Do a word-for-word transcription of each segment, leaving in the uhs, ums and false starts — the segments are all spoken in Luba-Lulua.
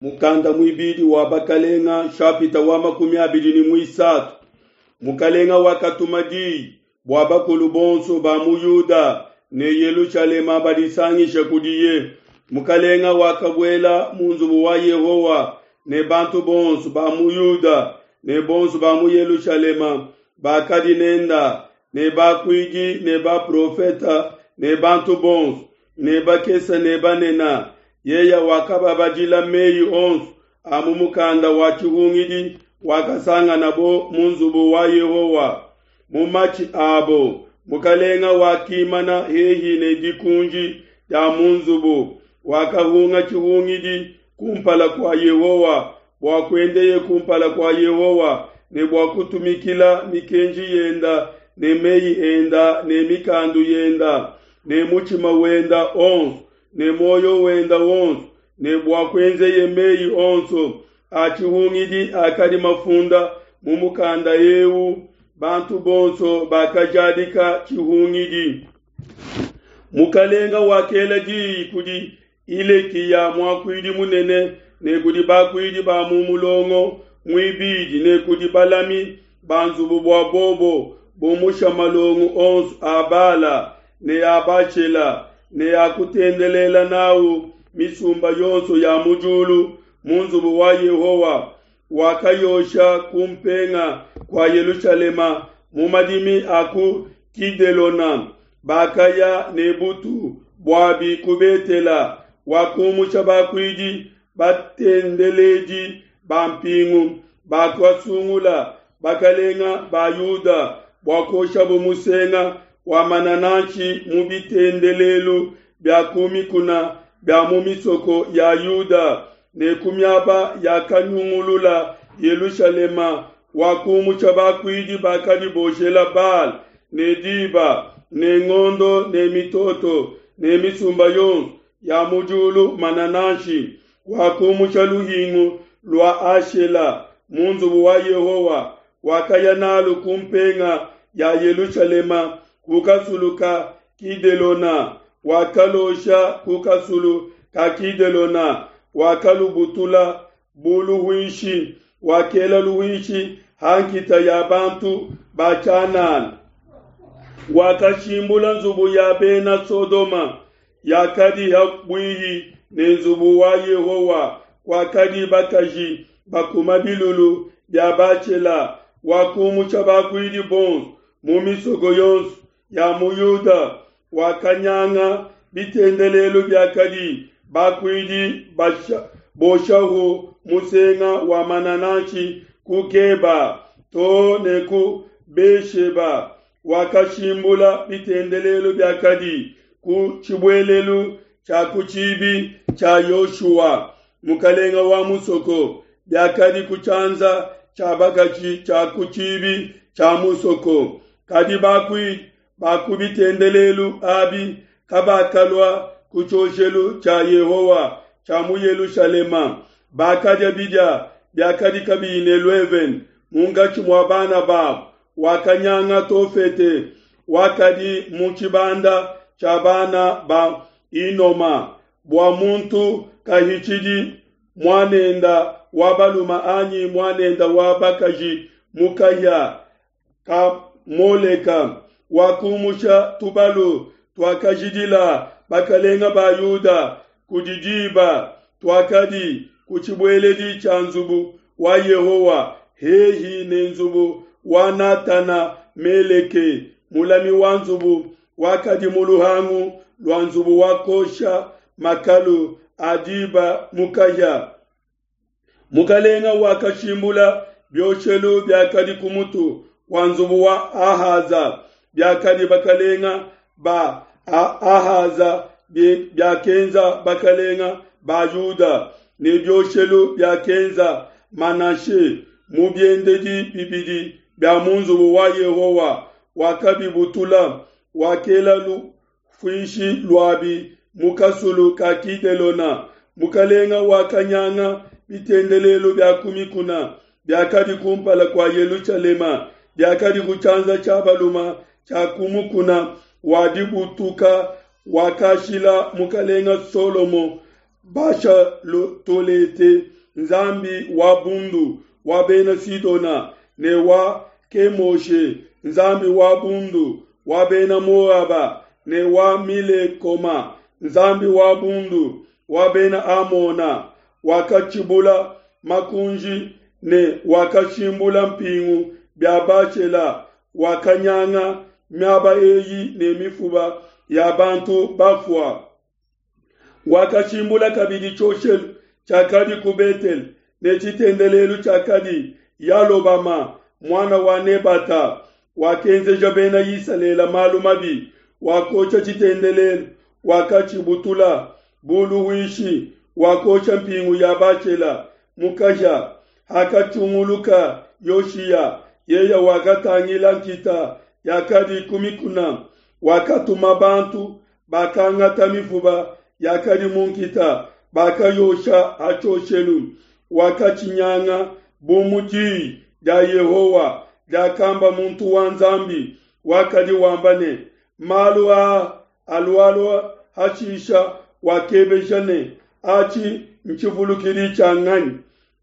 Mukanda muibidi wa Bakalenga nshapita wa makumi abidi ne muisatu. Mukalenga wakatuma diyi bua bakulu bonso ba mu Yuda ne Yelushalema badisangishe kudiye. Mukalenga wakabuela mu nzubu wa Yehowa ne bantu bonso ba mu Yuda ne bonso ba mu Yelushalema bakadi nenda ne bakuidi ne baprofeta ne bantu bonso ne bakese ne banene. Yeya wakababadila meyi onso a mu mukanda wa tshihungidi wakasanganabo mu nzubu wa Yehowa. Mu matshi abo mukalenga wakimana hehi ne dikunji dia mu nzubu, wakahunga tshihungidi kumpala kua Yehowa bua kuendeye kumpala kua Yehowa ne bua kutumikila mikenji yenda ne meyi enda ne mikandu yenda ne mutshima wenda onso ne muoyo wenda wonso ne bua kuenzeye meyi onso a tshihungidi akadi mafunda mu mukanda eu. Bantu bonso bakajadika tshihungidi. Mukalenga wakela diyi kudi Hilekiya muakuidi munene ne kudi bakuidi ba mu mulongo muibidi ne kudi balami ba nzubu bua bobo bumusha malongo onso a Bala ne a Bashela ne a kutendelela nawu misumba yonso ya mu diulu mu nzubu wa Yehowa. Wakayosha ku mpenga kua Yelushalema mu madimi a ku Kidelona. Bakaya ne butu buabi ku Betela. Wakumusha bakuidi batendeledi ba mpingu bakasungula bakalenga ba Yuda bua kuoshabu musenga wa manananshi mu bitendelelu bia ku mikuna bia mu misoko ya Yuda ne ku miaba yakanyungulula Yelushalema. Wakumusha bakuidi bakadi boshela Baal ne diba ne ngondo ne mitoto ne misumba yonso ya mu diulu manananshi. Wakumusha luhingu lua Ashela mu nzubu wa Yehowa, wakaya nalu ku mpenga ya Yelushalema ku kasulu ka Kidelona, wakalosha ku kasulu ka Kidelona, wakalubutula bu luhuishi, wakela luhuishi ha nkita ya bantu ba tshianana. Wakashimbula nzubu ya bena Sodoma yakadi ha buihi ne nzubu wa Yehowa, kwakadi bakaji bakuma bilulu bia Bashela. Wakumusha bakuidi bonso mu misoko yonso ya mu Yuda, wakanyanga bitendelelu biakadi bakuidi boshahu musenga wa manananshi ku Geba to ne ku Besheba. Wakashimbula bitendelelu biakadi ku tshibuelelu tshia ku tshibi tshia Yoshua mukalenga wa musoko, biakadi ku tshianza tshia bakaji tshia ku tshibi tshia musoko. Kadi bakuidi ba ku bitendelelu abi kabakalua ku tshioshelu tshia Yehowa tshia mu Yelushalema. Bakadia bidia biakadi kabiyi ne luevene munkatshi mua bana babo. Wakanyanga Tofete wakadi mu tshibanda tshia bana ba Hinoma, bua muntu kahitshidi muanenda wa baluma anyi muanenda wa bakaji mu kahia ka Moleka. Wakumusha tubalu tuakajidila bakalenga ba Yuda kudi diba tuakadi ku tshibueledi tshia nzubu wa Yehowa hehi ne nzubu wa Natana Meleke mulami wa nzubu wakadi mu luhangu lua nzubu wa kosha makalu a diba mu kahia. Mukalenga wakashimbula bioshelu biakadi ku mutu wa nzubu wa Ahaza biakadi bakalenga ba Ahaza biakenza bakalenga ba Yuda ne bioshelu biakenza Manashe mu biendedi bibidi bia mu nzubu wa Yehowa. Wakabibutula, wakela lufuishi luabi mu kasulu ka Kidelona. Mukalenga wakanyanga bitendelelu bia ku mikuna biakadi kumpala kua Yelushalema, biakadi ku tshianza tshia baluma tshia ku mukuna wa dibutuka wakashila mukalenga Solomo Bashalotolete, nzambi wa bundu wa Bena Sidona, ne wa Kemoshe, nzambi wa bundu wa Bena Moaba, ne wa Milekoma, nzambi wa bundu wa Bena Amona. Wakatshibula makunji ne wakashimbula mpingu bia Bashela, wakanyanga miaba eyi ne mifuba ya bantu bafua. Wakashimbula kabidi tshioshelu tshiakadi ku Betele ne tshitendelelu tshiakadi Yalobama muana wa Nebata. Wakenzeja Bena Isalele malu mabi, wakosha tshitendelelu, wakatshibutula bu luhuishi, wakosha mpingu ya Bashela mu kahia. Hakatshunguluka Yoshiya, yeye wakatangila nkita yakadi ku mikuna, wakatuma bantu bakangata mifuba yakadi mu nkita, bakayosha ha tshioshelu. Wakatshinyanga bu mu diyi dia Yehowa diakamba muntu wa Nzambi wakadi wamba ne, malu aa alualua hashisha. Wakebeja ne, atshi ntshivulukidi tshia nganyi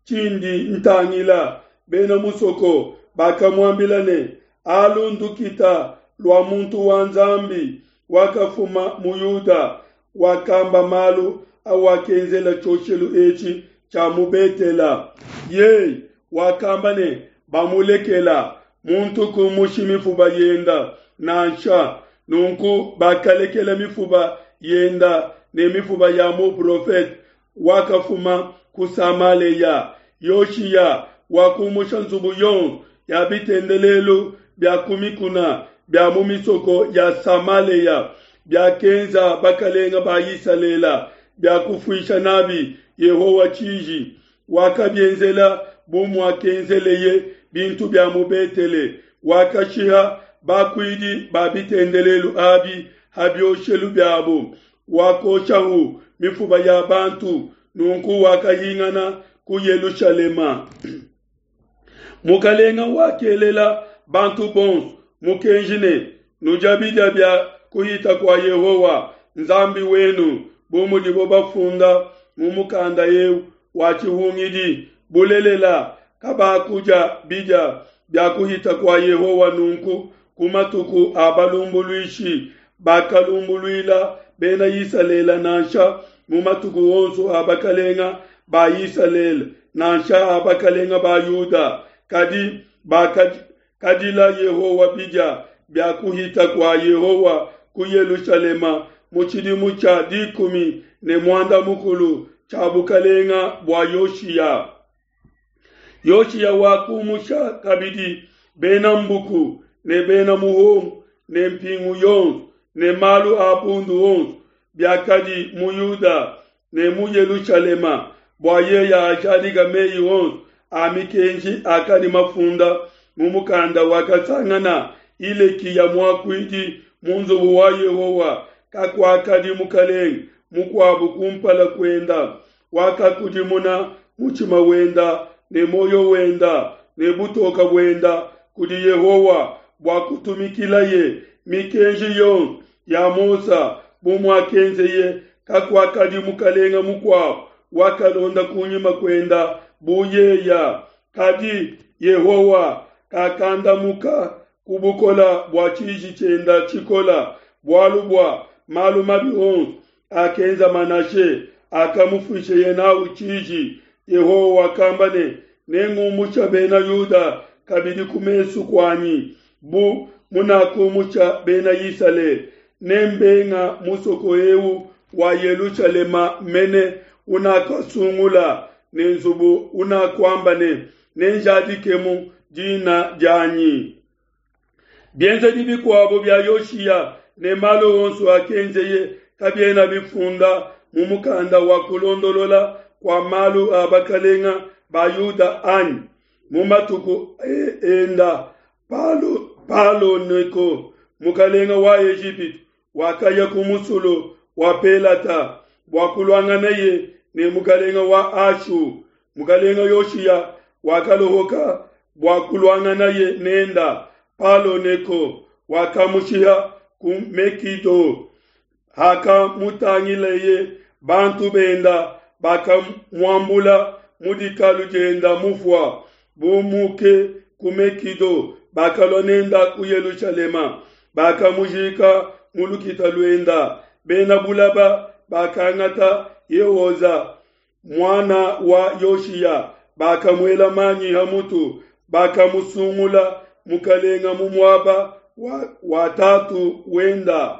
tshindi ntangila? Bena musoko bakamuambila ne, alu ndukita lua muntu wa Nzambi wakafuma mu Yuda, wakamba malu awakenzela tshioshelu etshi tshia mu Betela. Yeye wakamba ne, bamulekela muntu kumushi mifuba yenda nansha. Nunku bakalekela mifuba yenda ne mifuba ya muprofete wakafuma ku Samaleya. Yoshiya wakumusha nzubu yonso ya bitendelelu bia ku mikuna bia mu misoko ya Samaleya biakenza bakalenga ba Isalele bia kufuisha nabi Yehowa tshiji. Wakabienzela bu muakenzeleye bintu bia mu Betele. Wakashiha bakuidi ba bitendelelu abi ha bioshelu biabo, wakoshahu mifuba ya bantu. Nunku wakahingana ku Yelushalema. Mukalenga wakelela bantu bonso mukenji ne, nudia bidia bia kuhita kua Yehowa Nzambi wenu, bu mudibo bafunda mu mukanda eu wa tshihungidi. Bulelela, kabakudia bidia bia kuhita kua Yehowa nunku ku matuku a balumbuluishi bakalumbuluila Bena Isalele, nansha mu matuku onso a bakalenga ba Isalele, nansha a bakalenga ba Yuda. Kadi bakadila Yehowa bidia bia kuhita kua Yehowa ku Yelushalema mu tshidimu tshia dikumi ne muanda mukulu tshia bukalenga bua Yoshiya. Yoshiya wakumusha kabidi bena mbuku ne bena muhongo ne mpingu yonso ne malu a bundu onso biakadi mu Yuda ne mu Yelushalema, bua yeye ajadika meyi onso a mikenji akadi mafunda mu mukanda wakasangana Hilekiya muakuidi mu nzubu wa Yehowa. Kakuakadi mukalenge mukuabu kumpala kuenda wakakudimuna mutshima wenda ne moyo wenda ne butoka buenda kudi Yehowa bua kutumikilaye mikenji yonso ya Mose bu muakenzeye. Kakuakadi mukalenge mukuabu wakalonda kunyima kuenda bu yeya. Kadi Yehowa kakandamuka ku bukola bua tshiji tshienda tshikola, bualu bua malu mabi onso akenza Manashe akamufuisheye nawu tshiji. Yehowa wakamba ne, nengumusha Bena Yuda kabidi ku mesu kuanyi bu munakumusha Bena Isalele, nembenga musoko eu wa Yelushalema mene unakasungula ne nzubu unakuamba ne, nenjadikemu dina dianyi. Bienzedi bikuabo bia Yoshiya ne malu onso akenzeye kabiena bifunda mu mukanda wa kulondolola kua malu a bakalenga ba Yuda anyi? Mu matuku enda Palo, Palo Neko mukalenga wa Ejipitu wakaya ku musulu wa Pelata bua kuluanganaye ne mukalenga wa Ashu. Mukalenga Yoshiya wakalohoka bua kuluanganaye nenda. Palo Neko wakamushiha ku Mekido. Hakamutangileye Bantu benda bakamuambula mu dikalu dienda mufua bumuke ku Mekido, bakalua nenda ku Yelushalema, bakamujika mu lukita luenda. Bena bulaba bakangata Yehoza muana wa Yoshiya, bakamuela manyi ha mutu, bakamusungula mukalenga mu muaba wa, wa tatu wenda.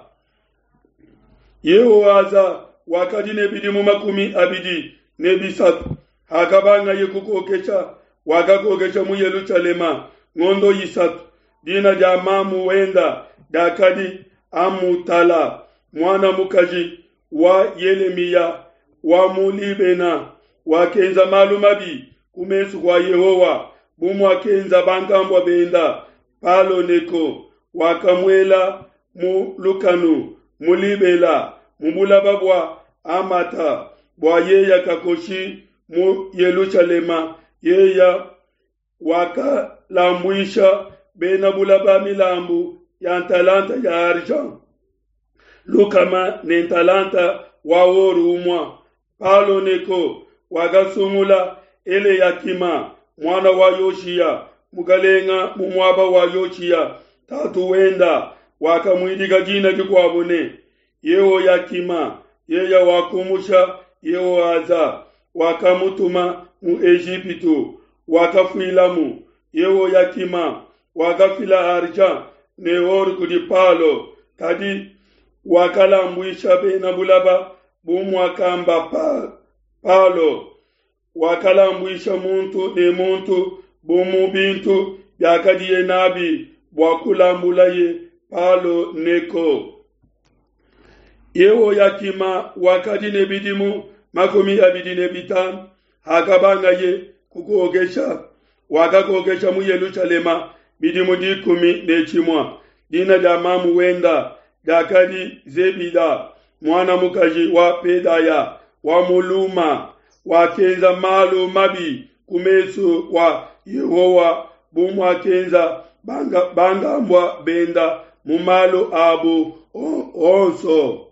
Yehoaza wakadi ne bidimu makumi abidi ne bisatu hakabangaye kukokesha, wakakokesha mu Yelushalema ngondo isatu. Dina dia mamu wenda diakadi Amutala muana mukaji wa Yelemiya wa mu Libena. Wakenza malu mabi ku mesu kua Yehowa bu muakenza bankambua benda. Palo Neko wakamuela mu lukanu mu Libela mu bulaba bua Amata bua yeya kakoshi mu Yelushalema. Yeya wakalambuisha bena bulaba milambu ya ntalanta ya argent lukama ne ntalanta wa oru umua. Palo Neko wakasungula Eleyakima muana wa Yoshiya mukalenga mu muaba wa Yoshiya tatu wenda, wakamuidika dina dikuabo ne Yehoyakima. Yeya wakumusha Yehoaza wakamutuma mu Ejipitu, wakafuilamu. Yehoyakima wakafila argent ne or kudi Palo, kadi wakalambuisha bena bulaba bu muakamba pa, Palo. Wakalambuisha muntu ne muntu bu mu bintu biakadiye nabi bua kulambulaye Palo Neko. Yehoyakima wakadi ne bidimu makumi abidi ne bitanu hakabangaye kukokesha. Wakakokesha mu Yelushalema bidimu dikumi ne tshimua. Dina dia mamu wenda diakadi Zebida muana mukaji wa Pedaya wa mu Luma. Wakenza malu mabi ku mesu kua Yehowa bu muakenza bangambua benda mu malu abu onso.